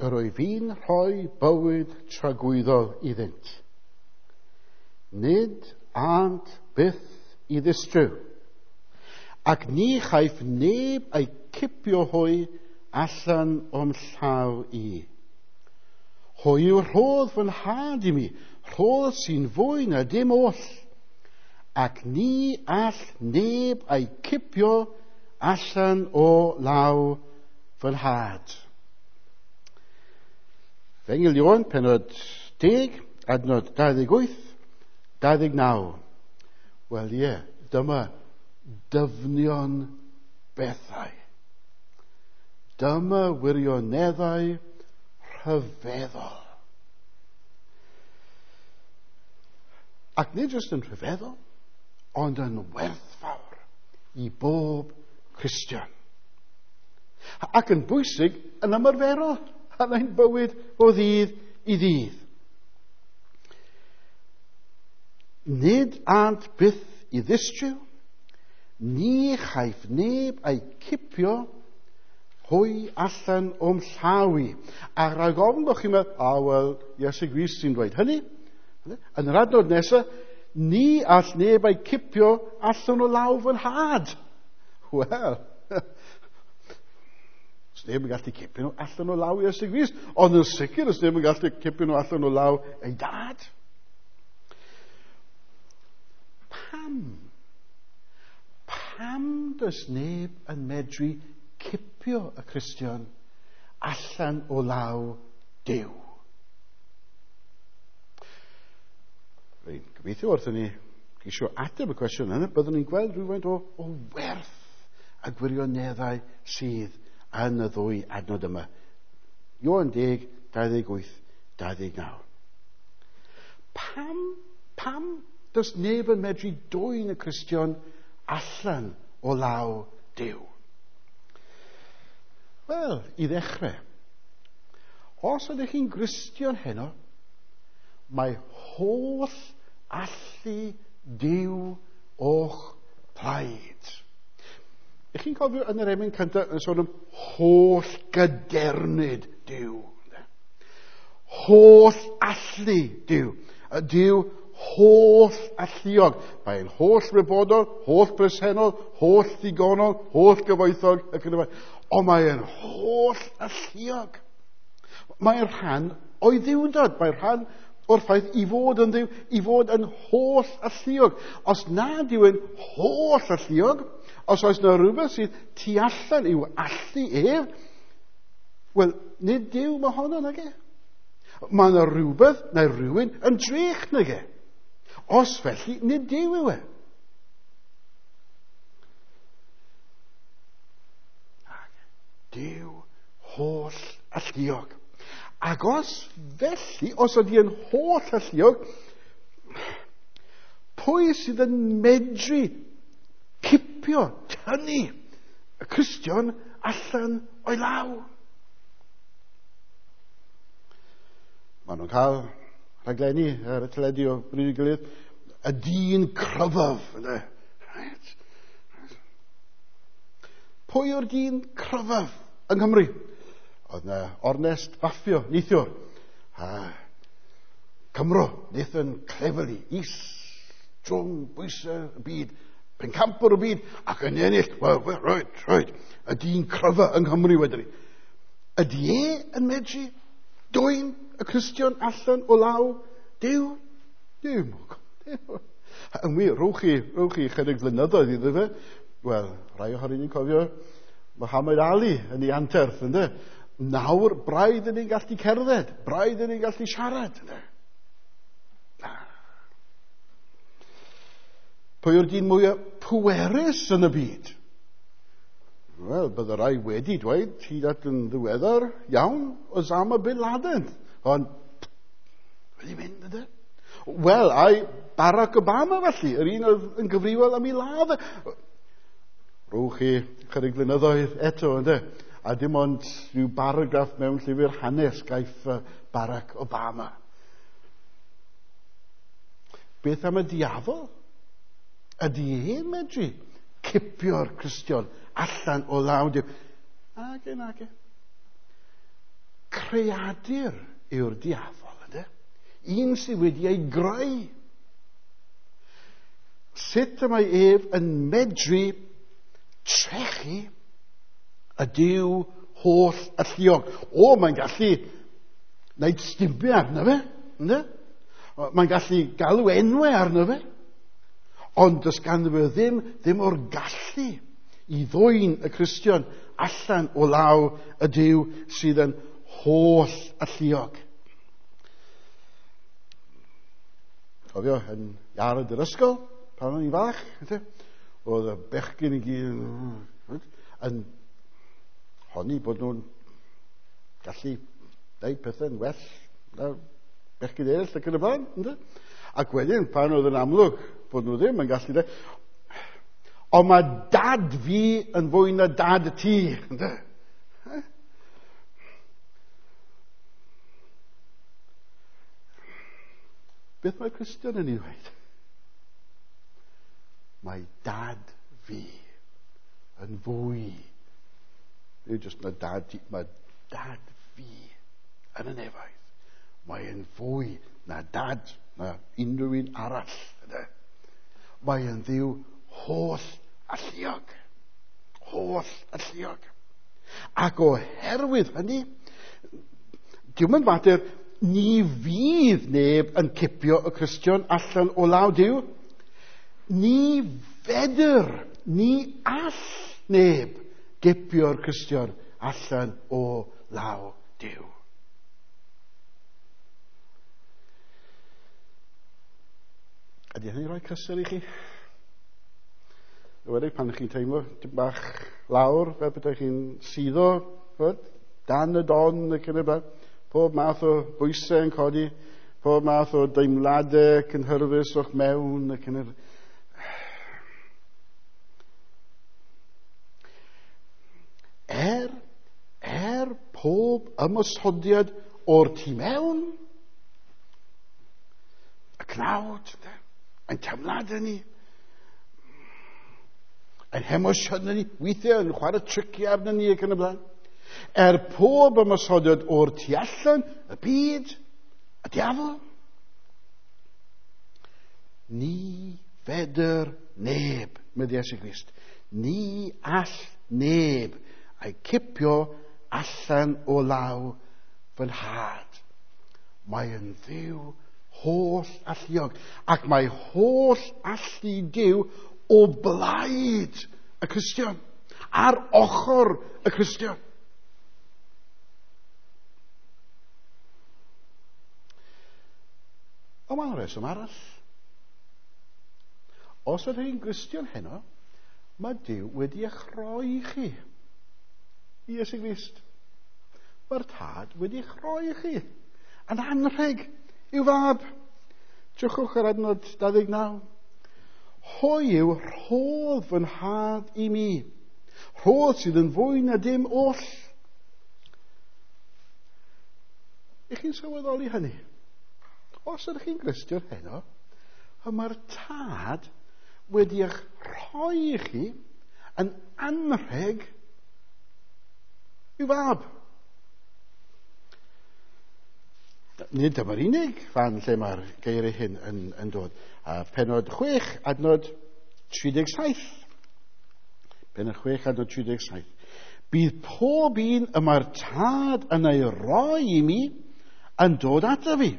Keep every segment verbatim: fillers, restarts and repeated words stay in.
yr wyf fi'n rhoi bywyd tragwyddol iddynt. Nid ânt byth i ddistryw, ac ni chaiff neb eu cipio hwy allan o'm llaw i. Hwy yw rhodd fy nhad i mi, rhodd sy'n fwy na dim oll, ac ni all neb eu cipio allan o law fy nhad. Efengyl Ioan, pennod deg, adnod dau ddeg wyth, dau ddeg naw. Wel ie, dyma dyfnion bethau. Dyma wirioneddau rhyfeddol. Ac nid jyst yn rhyfeddol, ond yn werthfawr i bob Cristion. Ac yn bwysig yn ymarferol yn ein bywyd o ddydd i ddydd. Nid ânt byth i ddistryw, ni chaiff neb eu cipio hwy allan o'm llaw i. A rhag ofn bod chi'n meddwl, a wel, Iesu Grist sy'n dweud hynny. Yn yr adnod nesaf, ni all neb eu cipio allan o law fy nhad. Wel, os neb yn gallu cipio nhw allan o law Iesu Grist, ond yn sicr os neb yn gallu cipio nhw allan o law ei dad. Pam? Pam does neb yn medru cipio y Cristion allan o law Duw? Rwy'n gobeithio wrth i ni geisio ateb y cwestiwn yna, byddwn ni'n gweld rhywfaint o, o werth a gwirioneddau sydd yn y ddwy adnod yma. Ioan deg, dau ddeg wyth, dau ddeg naw. Pam, pam does neb yn medru dwyn y Cristion allan o law Duw? Wel, i ddechrau, os ydych chi'n Gristion heno, mae holl allu Duw o'ch plaid. Ych chi'n cofio yn yr emyn cyntaf yn sôn am holl gadernid Duw. Holl allu Duw. Y Duw holl alluog. Mae'n holl wybodol, holl bresennol, holl ddigonol, holl gyfoethog, ac yn y blaen. Ond mae'n holl alluog. Mae'n rhan o'i ddiwndod. Mae'n rhan o'r ffaith i fod yn Dduw, i fod yn holl alluog. Os nad yw yn holl alluog, os oes yna rhywbeth sydd tu allan i'w allu ef, wel, nid Duw mae honno nag e. Mae yna rhywbeth neu rhywun yn drech nag e. Os felly, nid Duw yw e. Duw holl alluog. Ac os felly, os ydy yn holl alluog, pwy sydd yn medru cipio, tynnu y Cristion allan o'i law? Maen nhw'n cael rhaglenni ar y teledu o bryd i'w gilydd, y dyn cryfaf. Right. Pwy yw'r dyn cryfaf yng Nghymru? Oedd yna ornest baffio, neithiwr. A Cymro, Nathan Cleverly, is drwm bwysau y byd, pencampwr y byd, ac yn ennill, well, well, right, right, y dyn cryfa yng Nghymru wedyn ni. Ydy e yn medru dwyn y Cristion allan o law Duw? Dim. Yn wir, rhowch chi, rhowch chi chydig flynyddoedd iddo fe. Wel, rai ohonyn ni'n cofio Muhammad Ali yn ei anterth, ynddo? Nawr, braidd yn ni'n gallu cerdded, braidd yn ni'n gallu siarad. Ynddo? Pwy yw'r dyn mwyaf pwerus yn y byd? Wel, bydde rai wedi dweud, hyd at yn ddiweddar, iawn, Osama bin Laden. Ond, wedi mynd, ynddo? Wel, ai Barack Obama felly, yr un oedd yn gyfrifol am ei ladd. Rhowch chi chydig flynyddoedd eto, ynddo? A dim ond rhyw baragraff mewn llyfr hanes gaiff Barack Obama. Beth am y diafol? Ydy e'n medru cipio'r Cristion allan o law Duw? Age, nage. Creadur yw'r diafol, ynddo? Un sydd wedi ei greu. Sut y mae ef yn medru trechu y Duw holl alluog? O, mae'n gallu wneud stumiau arno fe, ynddo? Mae'n gallu galw enwau arno fe. Ond does ganddo fe ddim, ddim o'r gallu i ddwyn y Cristion allan o law y Duw sydd yn holl alluog. Cofio, yn iard yr ysgol, pan o'n i'n fach, oedd y bechgyn i gyd yn honni bod nhw'n gallu gwneud pethau'n well na bechgyn eraill ac yn y blaen. Ynddo? Ac wedyn, pan oedd yn amlwg bod nhw ddim yn gallu dweud, ond mae dad fi yn fwy na dad ti. Ynddo? Beth mae Cristion yn ei ddweud? Mae dad fi yn fwy. Nid jyst na dad ti, mae dad fi yn y nefoedd. Mae yn fwy na dad na unrhyw un arall. Ynddo? Mae yn Dduw holl alluog. Holl alluog. Ac oherwydd hynny, diwm yn fater ni fydd neb yn cipio y Cristion allan o law Duw. Ni fedr, ni all neb gipio'r Cristion allan o law Duw. Ydy hynny'n rhoi cysur i chi? Ywedig pan chi'n teimlo tipyn bach lawr, fel bydde chi'n suddo, ch'mod, dan y don ac yn y blaen. Pob math o bwysau yn codi, pob math o deimladau cynhyrfus o'ch mewn ac yn yr... Er, er pob ymosodiad o'r tu mewn, y cnawd, ein teimladau ni, ein hemosiynau ni, weithiau yn chwarae triciau arno ni ac yn y blaen. Er pob ymosodiad o'r tu allan, y byd, y diafol, ni fedr neb, medd Iesu Grist, ni all neb a'i cipio allan o law fy nhad. Mae yn Dduw holl alluog, ac mae holl allu Duw o blaid y Cristion, ar ochr y Cristion. Ond mae'n rheswm arall. Os ydych chi'n Gristion heno, mae Duw wedi eich rhoi chi i Iesu Grist. Mae'r Tad wedi eich rhoi chi yn anrheg i'w fab. Drychwch ar adnod dau ddeg naw. Hwy yw rhodd fy nhad i mi, rhodd sydd yn fwy na dim oll. Ych chi'n sylweddoli hynny? Os ydych chi'n Gristion heno, y mae'r Tad wedi eich rhoi i chi yn anrheg i'w fab. Nid dyma'r unig fan lle mae'r geiriau hyn yn, yn dod. A penod chwech, adnod tri deg saith. Penod chwech, adnod tri deg saith. Bydd pob un y mae'r Tad yn ei roi i mi yn dod ato fi.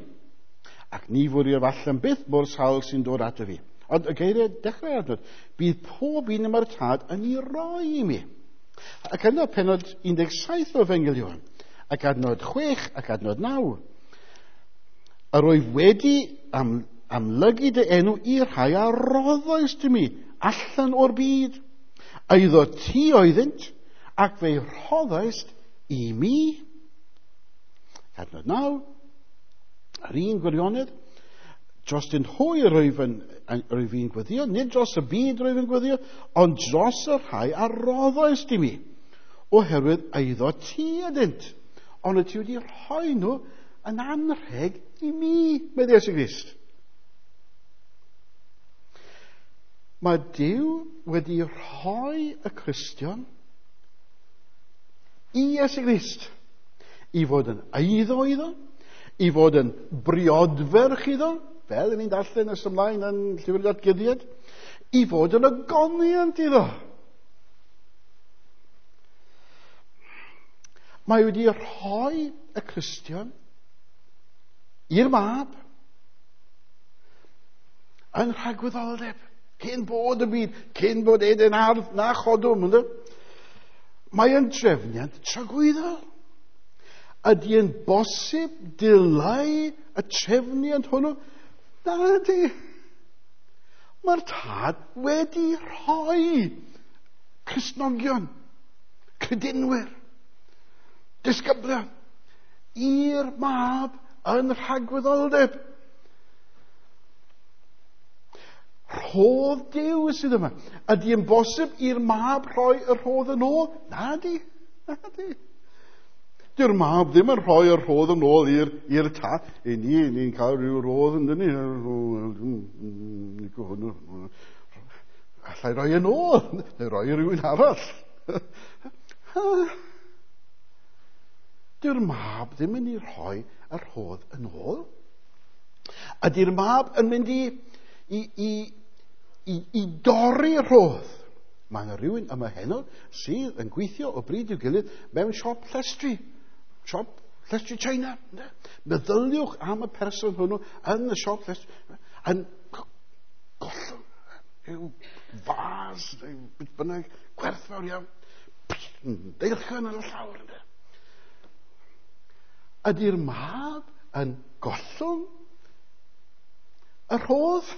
Ac ni fwriaf allan byth mor sawl sy'n dod ato fi. Ond y geiriau dechrau adnod. Bydd pob un y mae'r Tad yn ei roi i mi. Ac yna penod un deg saith o Efengyl Ioan. Ac adnod chwech ac adnod naw. Yr oedd wedi am, amlygu dy enw i'r rhai a roddoist i mi allan o'r byd. Eiddo ti oeddynt, ac fe'i rhoddoist i mi. Adnod naw, yr un gwirionedd, dros dyn hwy yr wyf yn, yr wyf i'n gweddio, nid dros y byd yr wyf yn gweddio, ond dros y rhai a roddoist i mi, oherwydd eiddo ti ydynt. Ond y ti wedi rhoi nhw yn anrheg i mi, medd Iesu Grist. Mae Duw wedi rhoi y Cristion i Iesu Grist I fod yn eiddo iddo, i fod yn briodferch iddo, fel ni'n darllen ys ymlaen yn Llyfr Datguddiad, i fod yn ogoniant iddo. Mae wedi rhoi y Cristion i'r mab yn rhagwyddoldeb, cyn bod y byd, cyn bod Eden ardd na chodwm. Ynddo? Mae yn trefniant tragwyddol. Ydy yn bosib dileu y trefniant hwnnw? Na ydy. Mae'r tad wedi rhoi Cristnogion, credinwyr, disgyblion i'r mab yn rhagwyddoldeb. Rhodd Duw sydd yma. Ydy yn bosib i'r mab rhoi y rhodd yn ôl? Na di. Na di. Dyw'r mab ddim yn rhoi y rhodd yn ôl i'r, i'r tad. I ni, ni'n cael rhyw rodd yn dyn ni. Allai roi yn ôl, neu roi i rhywun arall. Dyw'r mab ddim yn ei rhoi y rhodd yn ôl. Ydy'r mab yn mynd i, i, i, i, i dorri'r rhodd? Mae yna rhywun yma heno sydd yn gweithio o bryd i'w gilydd mewn siop llestri. Siop llestri China. Meddyliwch am y person hwnnw yn y siop llestri. Yn gollwng rhyw fas, rhyw beth bynnag, gwerthfawr iawn. Deilchion ar y llawr. Ydy'r mab yn gollwng y rhodd?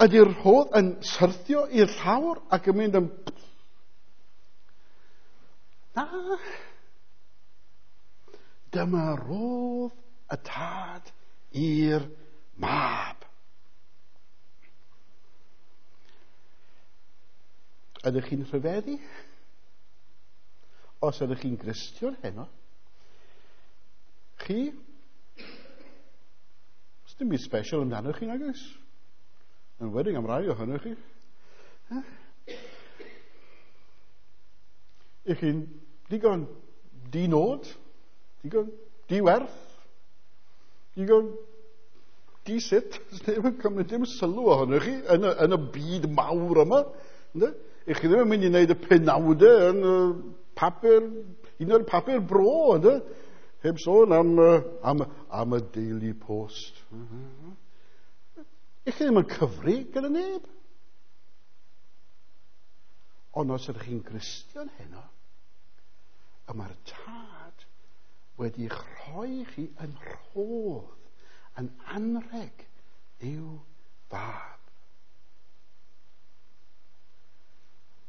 Ydy'r rhodd yn syrthio i'r llawr ac yn mynd yn... Na. Dyma rodd y tad i'r mab. Ydych chi'n rhyfeddu? Os ydych chi'n Gristion heno, chi, os dim byd special amdano chi, nag oes? Yn enwedig am rai ohonoch chi. Ych chi'n digon di-nod, digon di-werth, digon di-sut, neb yn cymryd dim sylw ohonoch chi yn y, yn y byd mawr yma. Ych chi ddim yn mynd i wneud y penawdau yn y papur, un o'r papur bro, ynddo? Heb sôn am, am, am y Daily Post. Ych chi ddim yn cyfri gyda neb. Ond os ydych chi'n Gristion heno, y mae'r tad wedi'ch rhoi chi yn rhodd, yn anrheg i'w fab.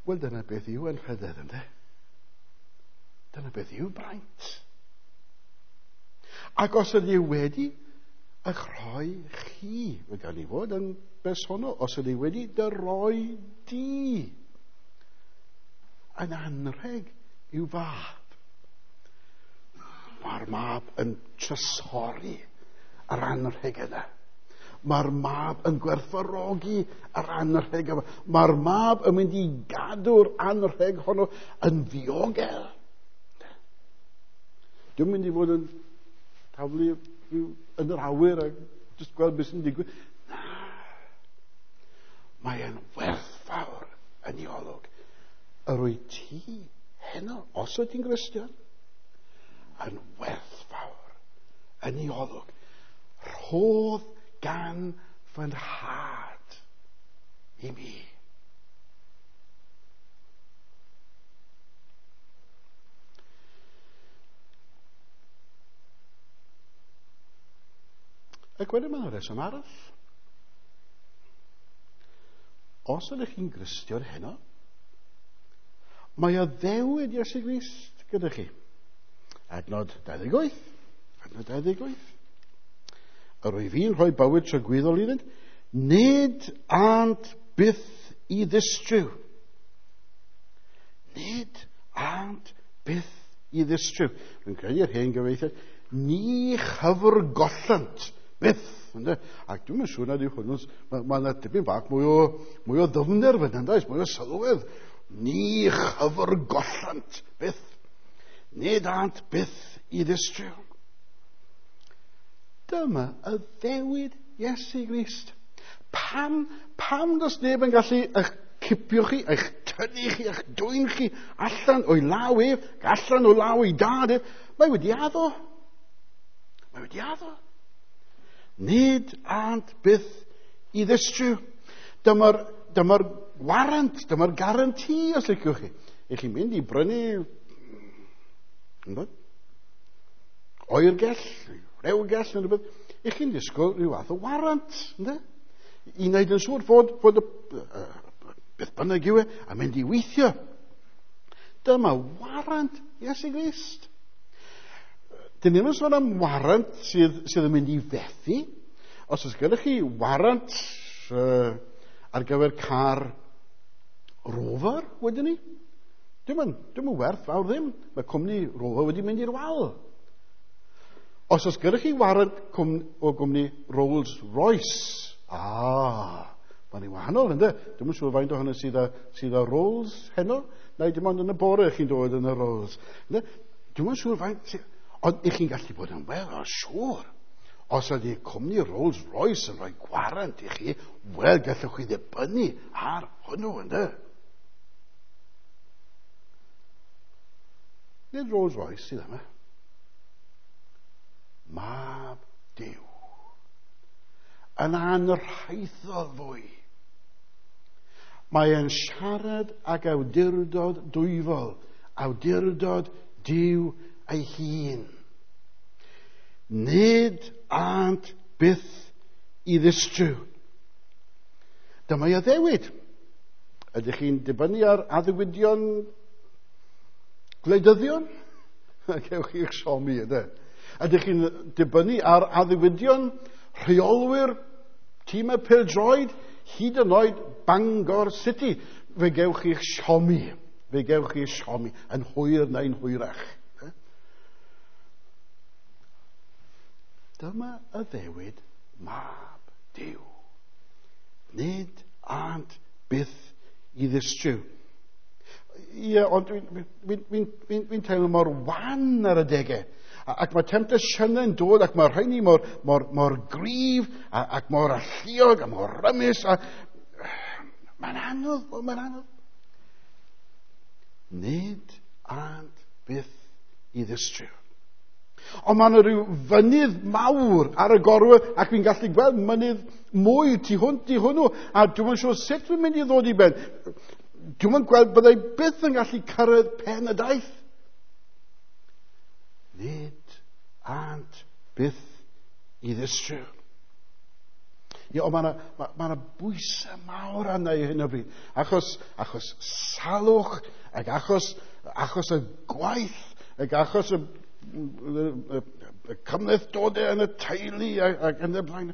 Wel, dyna beth yw anrhydedd, ynde? Dyna beth yw braint. Ac os ydy wedi eich rhoi chi, fe gan i fod yn bersonol, os ydy wedi dy roi di yn anrheg i'w fab. Mae'r mab yn trysori yr anrheg yna. Mae'r mab yn gwerthfawrogi yr anrheg yma. Mae'r mab yn mynd i gadw'r anrheg honno yn ddiogel. Dwi'n mynd i fod yn taflu yn yr awyr a jyst gweld beth sy'n digwydd. Na. Mae e'n werthfawr yn ei olwg. Yr wyt ti heno, os wyt ti'n Gristion, yn werthfawr yn ei olwg. Rhodd gan fy nhad i mi. Ac wedyn mae'n rheswm arall. Os ydych chi'n Gristion heno, mae addewid Iesu Grist gyda chi. Adnod dau ddeg wyth. Adnod dau ddeg wyth. Yr wyf fi'n rhoi bywyd tragwyddol iddynt, nid ânt byth i ddistryw. Nid ânt byth i ddistryw. Rwy'n credu'r hen gyfieithiad, ni chyfrgollant byth. Ynde? Ac dwi'n siŵr nad yw hwnnw, mae yna dipyn bach mwy o, mwy o ddyfnder fan hyn, mwy o sylwedd. Ni chyfrgollant byth. Nid ânt byth i ddistryw. Dyma addewid Iesu Grist. Pam, pam does neb yn gallu eich cipio chi, eich tynnu chi, eich dwyn chi allan o'i law ef, allan o law ei dad ef? Mae wedi addo. Mae wedi addo. Nid ânt byth i ddistryw. Dyma'r, dyma'r warant, dyma'r garanti, os liciwch chi. Ych chi'n mynd i brynu ynddo? Oergell, rewgell, neu rhywbeth. Ych chi'n disgwyl rhyw fath o warant, ynddo? I wneud yn siŵr fod, fod y, uh, beth bynnag yw e, a mynd i weithio. Dyma warant Iesu Grist. Dyn ni ddim yn sôn am warant sydd, sydd yn mynd i fethu. Os oes gyda chi warant uh, ar gyfer car Rover, wedyn ni, dim yn, dim yn werth fawr ddim. Mae cwmni Rover wedi mynd i'r wal. Os oes gyda chi warant cwm, o gwmni Rolls Royce, ah, mae'n ei wahanol, ynddo? Dwi'm yn siŵr faint ohono sydd â, sydd â Rolls heno, neu dim ond yn y bore chi'n dod yn y Rolls. Ynddo? Dwi'm yn siŵr faint... Ond i chi'n gallu bod yn wel, o siŵr. Os ydy cwmni Rolls Royce yn rhoi gwarant i chi, wel, gallwch chi ddibynnu ar hwnnw, ynddo? Nid Rolls Royce sydd yma. Mab Duw. Yn anrhaethol fwy. Mae e'n siarad ag awdurdod dwyfol, awdurdod Duw ei hun. Nid ânt byth i ddistryw. Dyma ei addewid. Ydych chi'n dibynnu ar addewidion gwleidyddion? Cewch chi'ch siomi, ydy. Ydych chi'n dibynnu ar addewidion rheolwyr tîmau pêl-droed, hyd yn oed Bangor City? Fe gewch chi'ch siomi. Fe gewch chi'ch siomi yn hwyr neu'n hwyrach. Dyma addewid Mab Duw. Nid ânt byth i ddistryw. Ie, ond dwi'n dwi, dwi, dwi, dwi teimlo mor wan ar y degau. Ac mae temptasiynau'n dod, ac mae rheini mor, mor, mor gryf, ac mor alluog, a mor rymus. A... Mae'n anodd, mae'n anodd. Nid ânt byth i ddistryw. Ond mae yna rhyw fynydd mawr ar y gorwel, ac fi'n gallu gweld mynydd mwy tu hwnt i hwnnw, a dwi'm yn siŵr sut dwi'n mynd i ddod i ben. Dwi'm yn gweld byddai byth yn gallu cyrraedd pen y daith. Nid ânt byth i ddistryw. Ie, ond mae yna ma, ma yna bwysau mawr arna i hyn o bryd. Achos, achos salwch, ac achos, achos y gwaith, ac achos y, y, y, y cymhlethdodau yn y teulu ac, ac yn y blaen.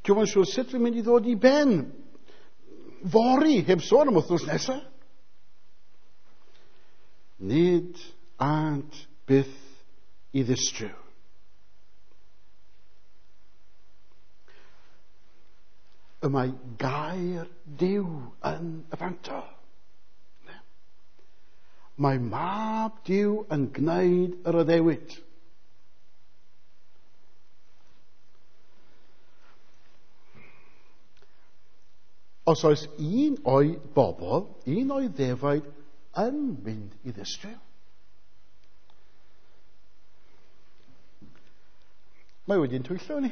Dwi'm yn siŵr sut dwi'n mynd i ddod i ben. Fory, heb sôn am wythnos nesaf. Nid ânt byth i ddistryw. Y mae gair Duw yn y fantol. Mae Mab Duw yn gwneud yr addewid. Os oes un o'i bobl, un o'i ddefaid yn mynd i ddistryw, mae wedi'n twyllo ni.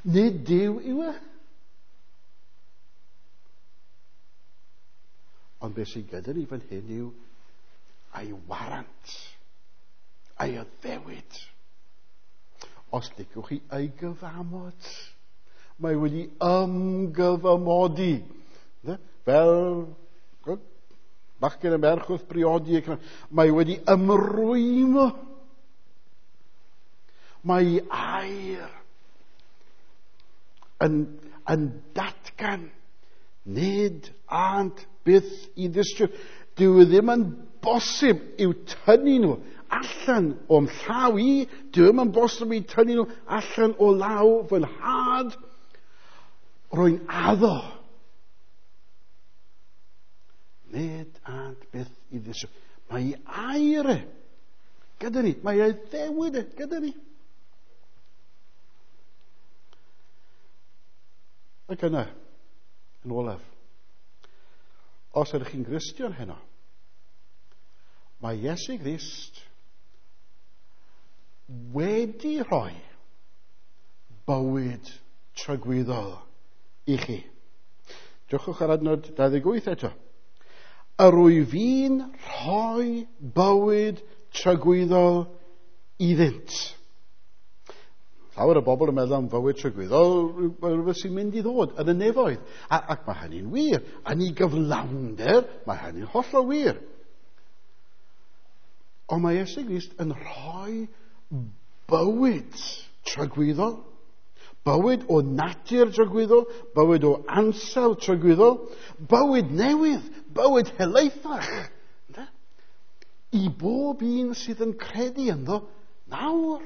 Nid Duw yw e. Ond beth sy'n gyda ni fan hyn yw a'i warant, a'i addewid. Os liciwch chi ei gyfamod, mae wedi ymgyfamodi. Fel bachgen y merch wrth briodi, mae wedi ymrwymo. Mae air yn, yn datgan nid ânt byth i ddistryw. Dyw e ddim yn bosib i'w tynnu nhw allan o'm llaw i. Dyw e ddim yn bosib i'w tynnu nhw allan o law fy nhad. Rwy'n addo. Nid ânt ddisgwyl. Mae ei air e gyda ni. Mae ei ddewid e gyda ni. Ac yna, yn olaf, os ydych chi'n Gristion heno, mae Iesu Grist wedi rhoi bywyd tragwyddol i chi. Drychwch ar adnod dau ddeg wyth eto. Yr wyf fi'n rhoi bywyd tragwyddol iddynt. Llawer o bobl yn meddwl am fywyd tragwyddol, rhywbeth sy'n mynd i ddod yn y nefoedd. A, ac mae hynny'n wir. Yn ei gyflawnder, mae hynny'n hollol wir. Ond mae Iesu Grist yn rhoi bywyd tragwyddol, bywyd o natur tragwyddol, bywyd o ansawdd tragwyddol, bywyd newydd, bywyd helaethach, i bob un sydd yn credu ynddo nawr.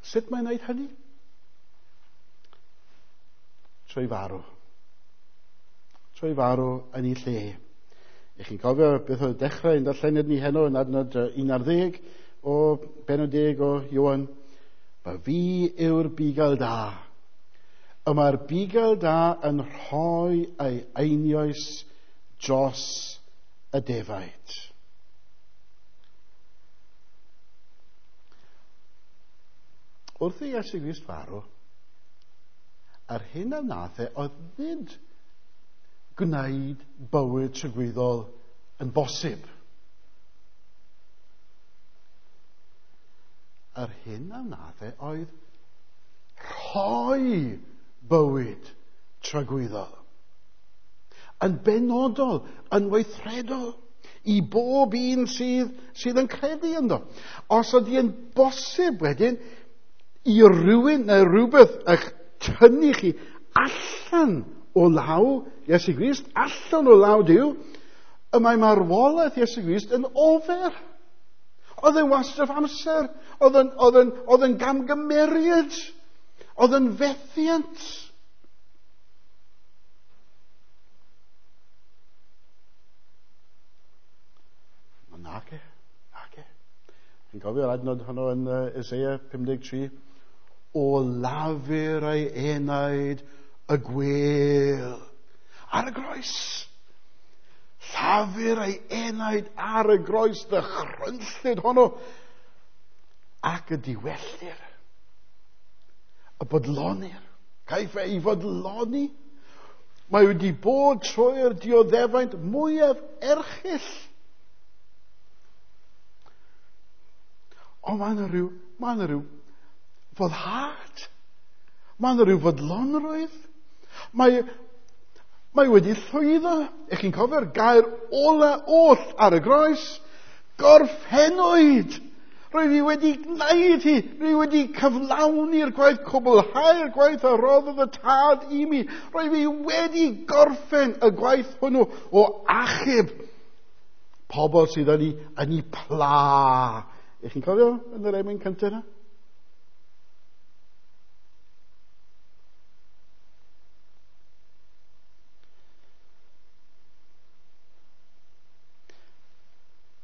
Sut mae'n gwneud hynny? Trwy farw. Trwy farw yn ei lle. Ych chi'n cofio beth oedd dechrau yn darlleniad ni heno yn adnod un ar ddeg o bennod deg o Ioan. Mae fi yw'r bugail da. Y mae'r bugail da yn rhoi ei einioes dros y defaid. Wrth i Iesu Grist farw, yr hyn a wnaeth e oedd nid gwneud bywyd tragwyddol yn bosib. Yr hyn a wnaeth e oedd rhoi bywyd tragwyddol. Yn benodol, yn weithredol, i bob un sydd, sydd yn credu ynddo. Os ydy yn bosib wedyn, i rywun neu rhywbeth eich tynnu chi allan o law Iesu Grist, allan o law Duw, y mae marwolaeth Iesu Grist yn ofer. Oedd yn wastraff amser, oedd yn, oedd yn, oedd yn gamgymeriad, oedd yn fethiant. Nage, nage. Chi'n cofio'r adnod honno yn uh, Isaiah pum deg tri? O lafur ei enaid y gwêl ar y groes. Llafur ei enaid ar y groes, ddychrynllyd honno, ac y diwellir, y bodlonir. Caiff ei fodloni. Mae wedi bod trwy'r dioddefaint mwyaf erchyll. Ond mae yna rhyw, mae yna rhyw foddhad. Mae yna rhyw fodlonrwydd. Mae, mae wedi llwyddo. Ych chi'n cofio'r gair ola oll ar y groes? Gorffennwyd. Rwy fi wedi gwneud hi. Rwy wedi cyflawni'r gwaith, cwblhau'r gwaith a roddodd y tad i mi. Rwy fi wedi gorffen y gwaith hwnnw o achub pobl sydd yn ei, yn ei pla. Ych chi'n cofio yn yr emyn cyntaf yna?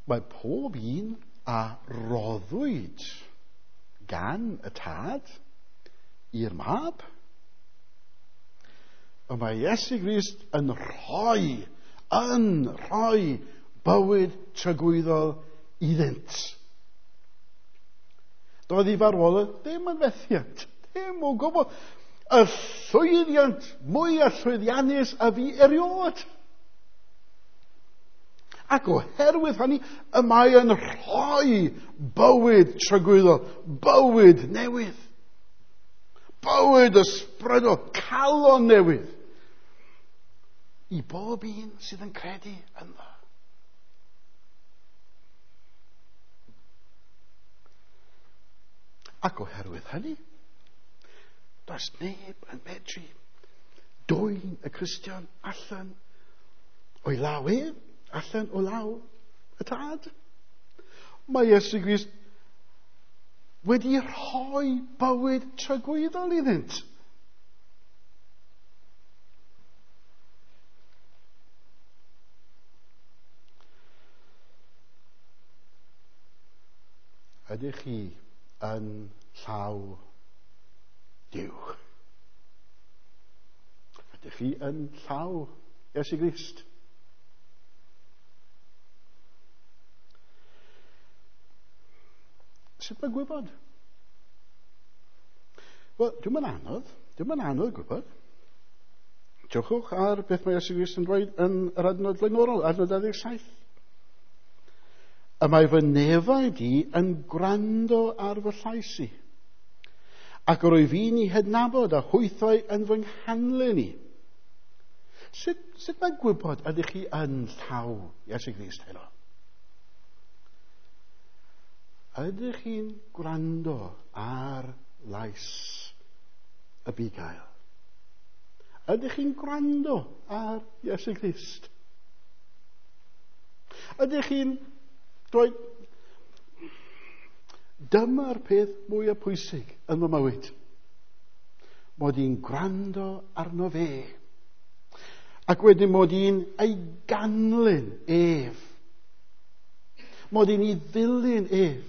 Mae pob un a roddwyd gan y tad i'r mab. Y mae Iesu Grist yn rhoi, yn rhoi bywyd tragwyddol iddynt. Doedd ei farwolaeth ddim yn fethiant, ddim o gwbl. Y llwyddiant mwyaf llwyddiannus a fi erioed. Ac oherwydd hynny, y mae yn rhoi bywyd tragwyddol, bywyd newydd, bywyd ysbrydol, calon newydd, i bob un sydd yn credu ynddo. Ac oherwydd hynny, does neb yn medru dwyn y Cristion allan o'i law ef, allan o law y tad. Mae Iesu Grist wedi rhoi bywyd tragwyddol iddynt. Ydych chi yn llaw Duw? Ydych chi yn llaw Iesu Grist? Sut mae gwybod? Wel, dwi'm yn anodd. Dwi'm yn anodd gwybod. Drychwch ar beth mae Iesu Grist yn dweud yn yr adnod flaenorol, adnod dau ddeg saith. Y mae fy nefaid i yn gwrando ar fy llais i, ac yr wyf fi'n ei hadnabod a hwythau yn fy nghanlyn i. Sut, sut mae gwybod ydych chi yn llaw Iesu Grist heno? Ydych chi'n gwrando ar lais y bugail? Ydych chi'n gwrando ar Iesu Grist? Ydych chi'n dweud, dyma'r peth mwyaf pwysig yn fy mywyd, mod i'n gwrando arno fe, ac wedyn mod i'n ei ganlyn ef, mod i'n ei ddilyn ef,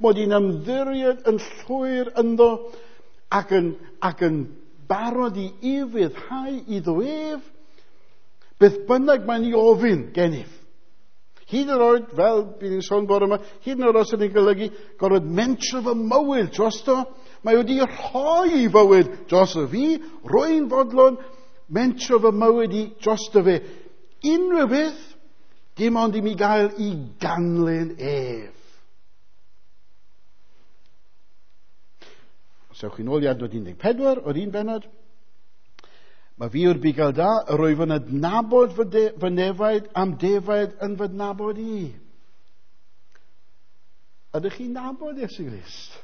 mod i'n ymddiried yn llwyr ynddo ac yn, ac yn barod i ufuddhau iddo ef, beth bynnag mae'n ei ofyn gennyf. Hyd yn oed, fel bydd ni'n sôn bore yma, hyd yn oed os ydy'n golygu gorfod mentro fy mywyd drosto, mae wedi rhoi ei fywyd drosto fi, rwy'n fodlon mentro fy mywyd i drosto fe. Unrhyw beth, dim ond i mi gael i ganlyn ef. Os ewch chi'n ôl i adnod un deg pedwar o'r un bennod, mae fi yw'r bugail da, yr wyf yn adnabod fy, de, fy nefaid am defaid yn fy adnabod i. Ydych chi'n nabod Iesu Grist?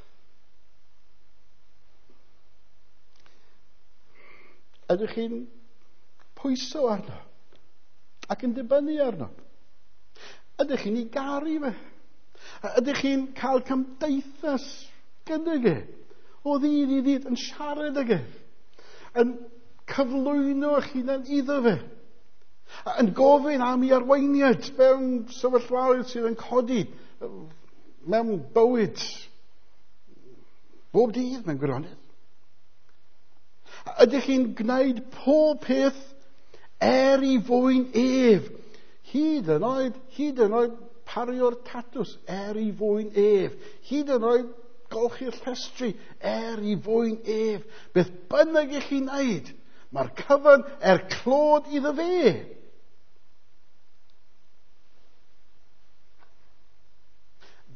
Ydych chi'n pwyso arno ac yn dibynnu arno? Ydych chi'n ei garu fe? Ydych chi'n cael cymdeithas gydag e? O ddydd i ddydd yn siarad ag ef, yn cyflwyno eich hunan iddo fe, yn gofyn am ei arweiniad mewn sefyllfaoedd sydd yn codi mewn bywyd bob dydd mewn gwirionedd. Ydych chi'n gwneud pob peth er i fwyn ef, hyd yn oed, hyd yn oed pario'r tatws er i fwyn ef, hyd yn oed golchi'r llestri er i fwyn ef. Beth bynnag i chi'n wneud, mae'r cyfan er clod iddo fe.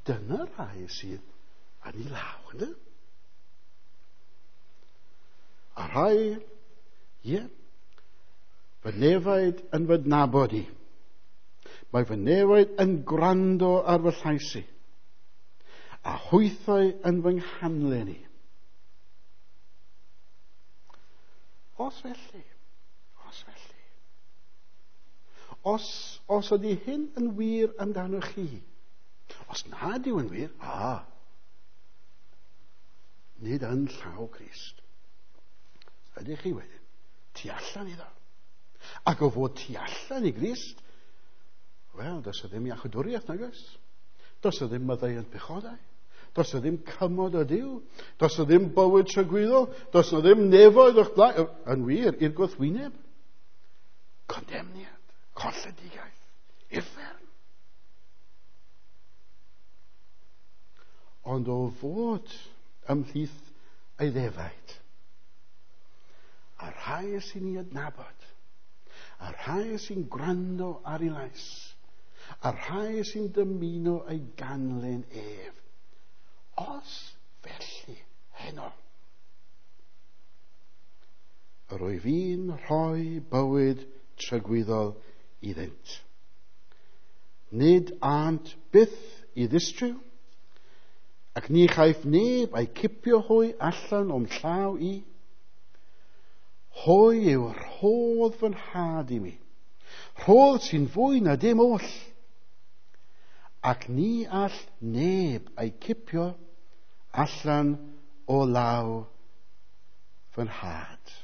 Dyna rhai sydd yn ei law, ynddo? A rhai, ie, fy nefaid yn fy nabod i. Mae fy nefaid yn gwrando ar fy llais i, a hwythau yn fy nghanlyn i. Os felly, os felly, os, os ydy hyn yn wir amdanoch chi, os nad yw yn wir, a, nid yn llaw Crist, ydych chi wedyn tu allan iddo. Ac o fod tu allan i Grist, wel, does e ddim iachawdwriaeth, nag oes? Does e ddim maddeuant pechodau. Does e ddim cymod o Duw. Does e ddim bywyd tragwyddol. Does e ddim nefoedd o'ch blaen. Yn wir, i'r gwrthwyneb. Condemniad, colledigaeth, uffern. Ond o fod ymhlith ei ddefaid, a rhai sy'n ei adnabod, a rhai sy'n gwrando ar ei lais, a rhai sy'n dymuno ei ganlyn ef, os felly heno, yr wyf fi'n rhoi bywyd tragwyddol iddynt. Nid ânt byth i ddistryw, ac ni chaiff neb ei cipio hwy allan o'm llaw i. Hwy yw rhodd fy nhad i mi, rhodd sy'n fwy na dim oll, ac ni all neb ei cipio allan o law fy nhad.